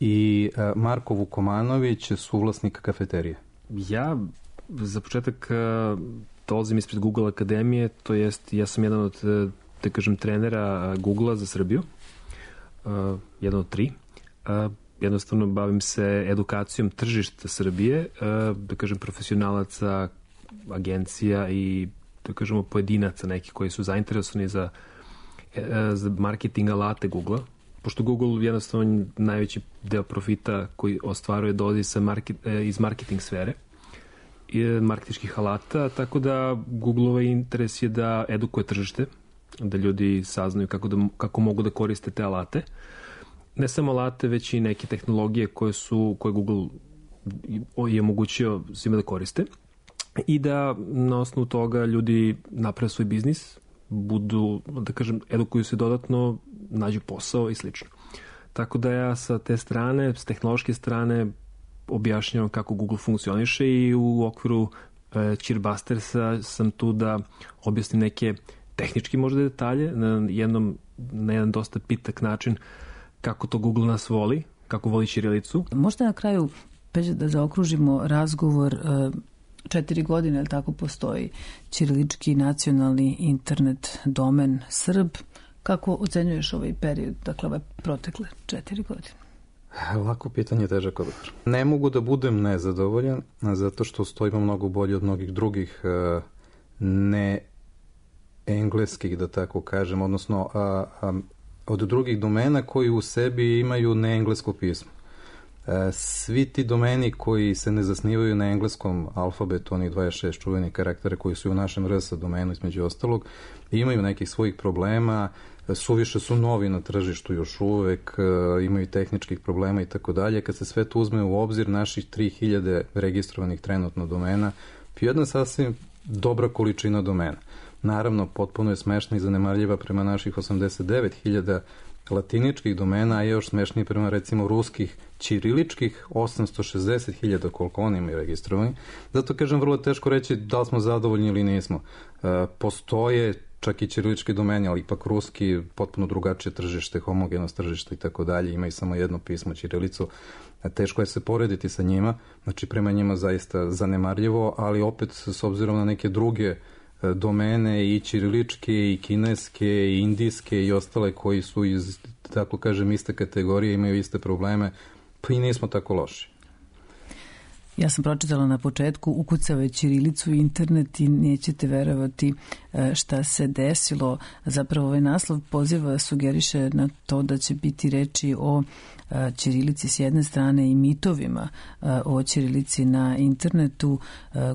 I Marko Vukomanović, suvlasnik kafeterije. Ja za početak dolazim ispred Google Akademije, to jest ja sam jedan od, da kažem, trenera Google-a za Srbiju, jedan od 3. Jednostavno bavim se edukacijom tržišta Srbije, da kažem profesionalaca, agencija i da kažemo pojedinaca neki koji su zainteresovani za marketing alate Google-a. Pošto Google jednostavno najveći deo profita koji ostvaruje dolazi iz marketing sfere i marketinških alata, tako da Google-ova interes je da edukuje tržište, da ljudi saznaju kako mogu da koriste te alate. Ne samo alate, već i neke tehnologije koje Google je omogućio svima da koriste i da na osnovu toga ljudi naprave svoj biznis, budu, da kažem, edukuju se dodatno, nađu posao i slično. Tako da ja sa te strane, s tehnološke strane, objašnjavam kako Google funkcioniše i u okviru Cheerbustersa sam tu da objasnim neke tehnički možda detalje na jedan dosta pitak način kako to Google nas voli, kako voli ćirilicu. Možda na kraju, Peđa, da zaokružimo razgovor, 4 godine, ali tako postoji ćirilički nacionalni internet domen Srb. Kako ocenjuješ ovaj period, dakle ove protekle 4 godine? Lako pitanje, težak odgovor. Ne mogu da budem nezadovoljan, zato što stojimo mnogo bolje od mnogih drugih ne engleskih, da tako kažem, odnosno od drugih domena koji u sebi imaju neenglesko pismo. Svi ti domeni koji se ne zasnivaju na engleskom alfabetu, onih 26 čuvenih karaktera koji su u našem RS domenu između ostalog, imaju nekih svojih problema, suviše su novi na tržištu još uvek, imaju tehničkih problema i tako dalje. Kad se sve to uzme u obzir, naših 3000 registrovanih trenutno domena jedna je sasvim dobra količina domena. Naravno, potpuno je smešna i zanemarljiva prema naših 89.000 latiničkih domena, a je još smešnije prema recimo ruskih ćiriličkih 860.000 koliko oni imaju registrovani. Zato kažem, vrlo teško reći da li smo zadovoljni ili nismo. Postoje čak i ćirilički domeni, ali ipak ruski, potpuno drugačije tržište, homogenost tržište i tako dalje, imaju samo jedno pismo, ćirilicu. Teško je se porediti sa njima, znači prema njima zaista zanemarljivo, ali opet s obzirom na neke druge domene i ćiriličke i kineske i indijske i ostale koji su iz, tako kažem, iste kategorije, imaju iste probleme, pa i nismo tako loši. Ja sam pročitala na početku, ukucavaju ćirilicu i internet i nećete verovati šta se desilo. Zapravo ovaj naslov poziva sugeriše na to da će biti reči o ćirilici s jedne strane i mitovima o ćirilici na internetu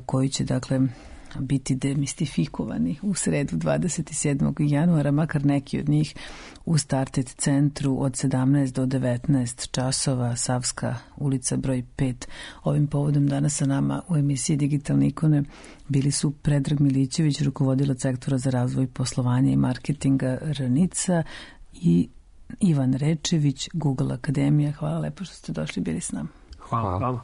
koji će dakle biti demistifikovani u sredu 27. januara, makar neki od njih u Started centru od 17 do 19 časova, Savska ulica broj 5. Ovim povodom danas sa nama u emisiji Digitalne ikone bili su Predrag Milićević, rukovodilac sektora za razvoj poslovanja i marketinga RANICA, i Ivan Rečević, Google Akademija. Hvala lepo što ste došli, bili s nama. Hvala vama.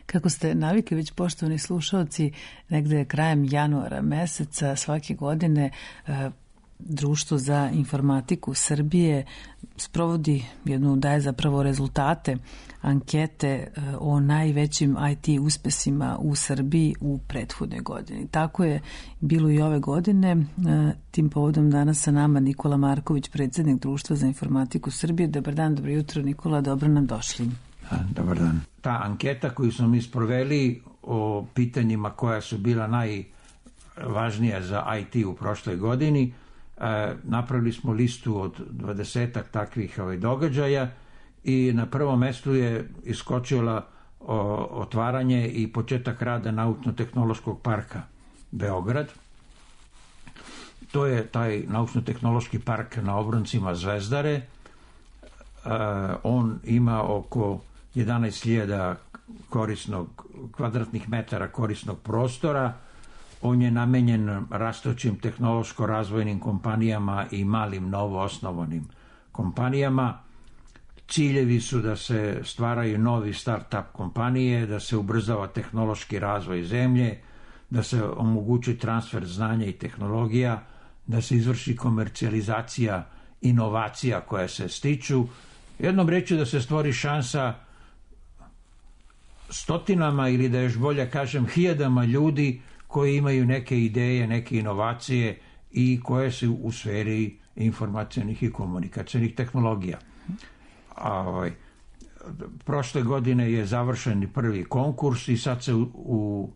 Kako ste navikli već, poštovani slušalci, negde krajem januara meseca svake godine Društvo za informatiku Srbije sprovodi daje zapravo rezultate ankete o najvećim IT uspesima u Srbiji u prethodnoj godini. Tako je bilo i ove godine. Tim povodom danas sa nama Nikola Marković, predsjednik Društva za informatiku Srbije. Dobar dan, dobro jutro Nikola, dobro nam došli. Dobar dan. Ta anketa koju smo mi sproveli o pitanjima koja su bila najvažnija za IT u prošloj godini, napravili smo listu od 20 takvih događaja i na prvom mestu je iskočila otvaranje i početak rada Naučno-tehnološkog parka Beograd. To je taj Naučno-tehnološki park na obroncima Zvezdare. On ima oko 11.000 kvadratnih metara korisnog prostora. On je namenjen rastućim tehnološko-razvojnim kompanijama i malim novoosnovanim kompanijama. Ciljevi su da se stvaraju novi start-up kompanije, da se ubrzava tehnološki razvoj zemlje, da se omogući transfer znanja i tehnologija, da se izvrši komercijalizacija inovacija koje se stiču. Jednom rečju da se stvori šansa stotinama ili da još bolje kažem hiljadama ljudi koji imaju neke ideje, neke inovacije i koje su u sferi informacionih i komunikacionih tehnologija. Prošle godine je završen prvi konkurs i sad se u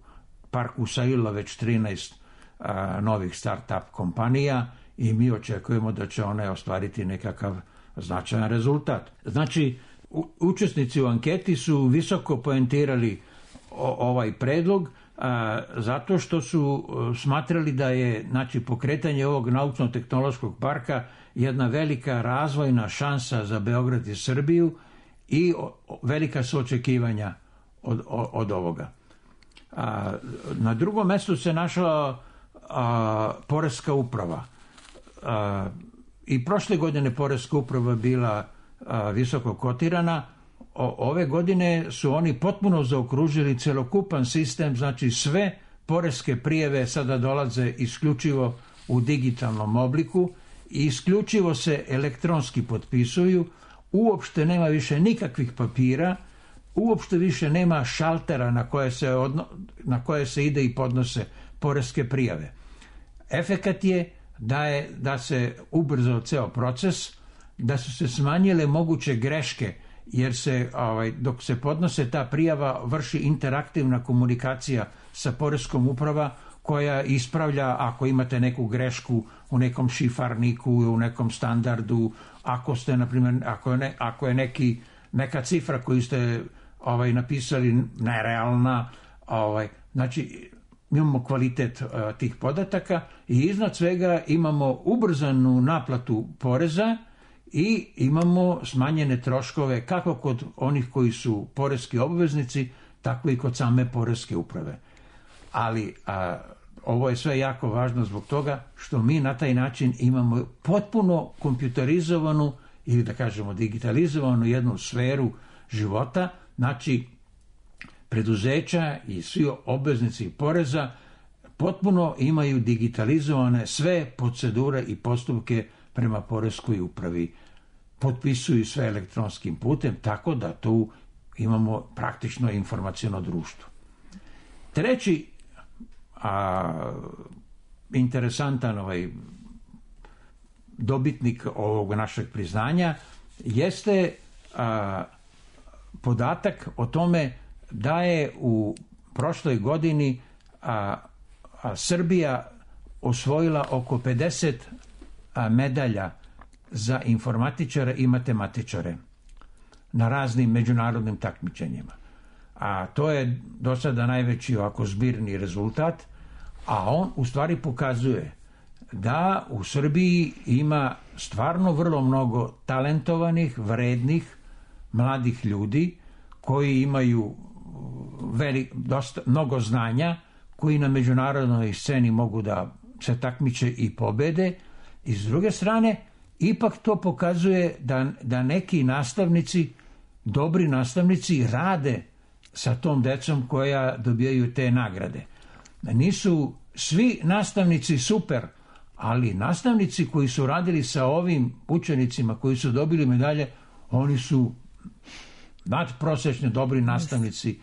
parku usajilo već 13 novih start-up kompanija i mi očekujemo da će one ostvariti nekakav značajan rezultat. Znači, učesnici u anketi su visoko poentirali ovaj predlog zato što su smatrali da je pokretanje ovog naučno-tehnološkog parka jedna velika razvojna šansa za Beograd i Srbiju i velika su očekivanja od ovoga. Na drugom mjestu se našla Poreska uprava. I prošle godine Poreska uprava bila visoko kotirana. Ove godine su oni potpuno zaokružili celokupan sistem, znači sve poreske prijave sada dolaze isključivo u digitalnom obliku i isključivo se elektronski potpisuju, uopšte nema više nikakvih papira, uopšte više nema šaltera na koje se ide i podnose poreske prijave. Efekat je da se ubrzao ceo proces, da su se smanjile moguće greške, jer se dok se podnose ta prijava vrši interaktivna komunikacija sa Poreskom uprava koja ispravlja ako imate neku grešku u nekom šifarniku, u nekom standardu, ako ste, na primjer, ako je neka cifra koju ste napisali nerealna, znači imamo kvalitet tih podataka i iznad svega imamo ubrzanu naplatu poreza i imamo smanjene troškove kako kod onih koji su poreski obveznici, tako i kod same Poreske uprave. Ali ovo je sve jako važno zbog toga što mi na taj način imamo potpuno kompjuterizovanu ili da kažemo digitalizovanu jednu sferu života, znači preduzeća i svi obveznici poreza potpuno imaju digitalizovane sve procedure i postupke prema Poreskoj upravi. Potpisuju sve elektronskim putem, tako da tu imamo praktično informaciono društvo. Treći interesantan dobitnik ovog našeg priznanja jeste podatak o tome da je u prošloj godini Srbija osvojila oko 50 medalja za informatičare i matematičare na raznim međunarodnim takmičenjima. A to je do sada najveći zbirni rezultat, a on u stvari pokazuje da u Srbiji ima stvarno vrlo mnogo talentovanih, vrednih, mladih ljudi koji imaju mnogo znanja, koji na međunarodnoj sceni mogu da se takmiče i pobede. I s druge strane, ipak to pokazuje da neki nastavnici, dobri nastavnici, rade sa tom decom koja dobijaju te nagrade. Nisu svi nastavnici super, ali nastavnici koji su radili sa ovim učenicima koji su dobili medalje, oni su nadprosečno dobri nastavnici.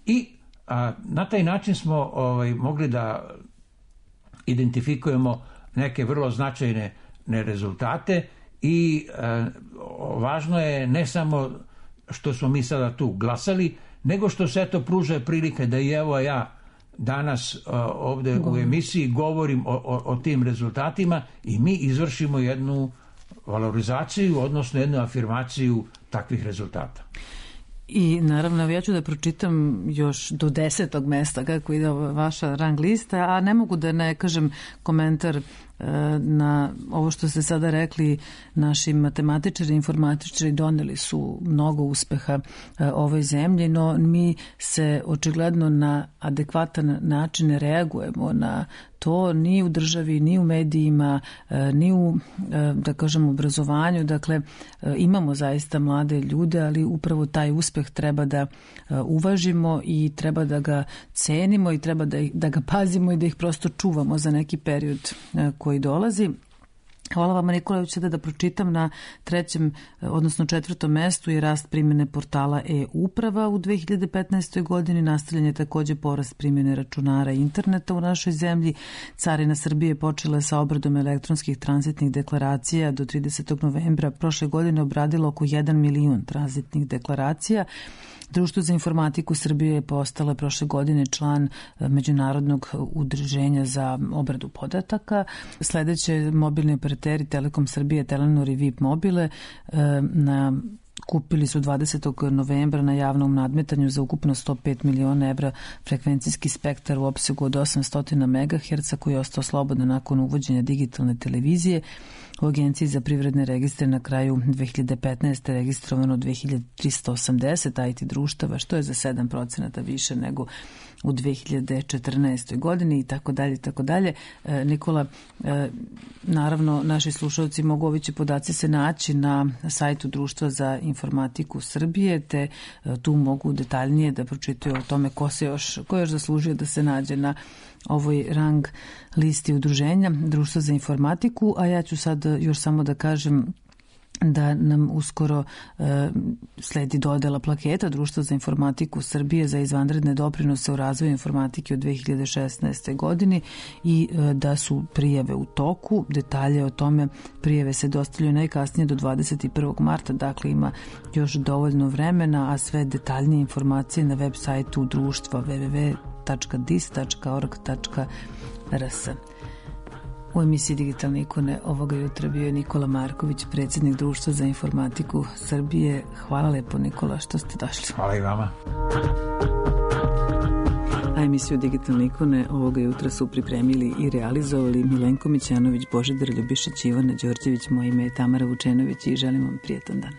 I na taj način smo mogli da identifikujemo neke vrlo značajne rezultate i važno je ne samo što smo mi sada tu glasali, nego što se to pruža prilike da i evo ja danas ovde u emisiji govorim o tim rezultatima i mi izvršimo jednu valorizaciju, odnosno jednu afirmaciju takvih rezultata. I naravno, ja ću da pročitam još do 10. mesta kako ide vaša rang lista, a ne mogu da ne kažem komentar na ovo što ste sada rekli. Naši matematičari i informatičari doneli su mnogo uspeha ovoj zemlji, no mi se očigledno na adekvatan način ne reagujemo na to ni u državi, ni u medijima, ni u, da kažem, obrazovanju. Dakle, imamo zaista mlade ljude, ali upravo taj uspeh treba da uvažimo i treba da ga cenimo i treba da ga pazimo i da ih prosto čuvamo za neki period koji dolazi. Hvala vama, Nikola. Ću sada da pročitam na 3. odnosno 4. mestu je rast primjene portala e-uprava u 2015. godini. Nastavljen je takođe porast primjene računara i interneta u našoj zemlji. Carina Srbije počela je sa obradom elektronskih tranzitnih deklaracija. Do 30. novembra prošle godine obradilo oko 1 milion tranzitnih deklaracija. Društvo za informatiku Srbije je postala prošle godine član Međunarodnog udruženja za obradu podataka. Sledeće mobilni operateri Telekom Srbije, Telenor i VIP Mobile kupili su 20. novembra na javnom nadmetanju za ukupno 105 miliona evra frekvencijski spektar u opsegu od 800 MHz koji je ostao slobodan nakon uvođenja digitalne televizije. U Agenciji za privredne registre na kraju 2015. registrovano 2380 IT društava, što je za 7% više nego u 2014. godini i tako dalje, tako dalje. Nikola, naravno, naši slušalci mogu ovi će podaci se naći na sajtu Društva za informatiku Srbije, te tu mogu detaljnije da pročitaju o tome ko je još zaslužio da se nađe na ovoj rang listi udruženja Društva za informatiku, a ja ću sad još samo da kažem da nam uskoro sledi dodela plaketa Društva za informatiku Srbije za izvanredne doprinose u razvoju informatike u 2016. godini i da su prijave u toku. Detalje o tome prijave se dostavljaju najkasnije do 21. marta, dakle ima još dovoljno vremena, a sve detaljnije informacije na web sajtu društva www.dis.org.rs. U emisiji Digitalne ikone ovoga jutra bio je Nikola Marković, predsjednik Društva za informatiku Srbije. Hvala lepo, Nikola, što ste došli. Hvala i vama. A emisiju Digitalne ikone ovoga jutra su pripremili i realizovali Milenko Mićanović, Božidar Ljubišić, Ivana Đorđević, moje ime je Tamara Vučenović i želim vam prijetan dan.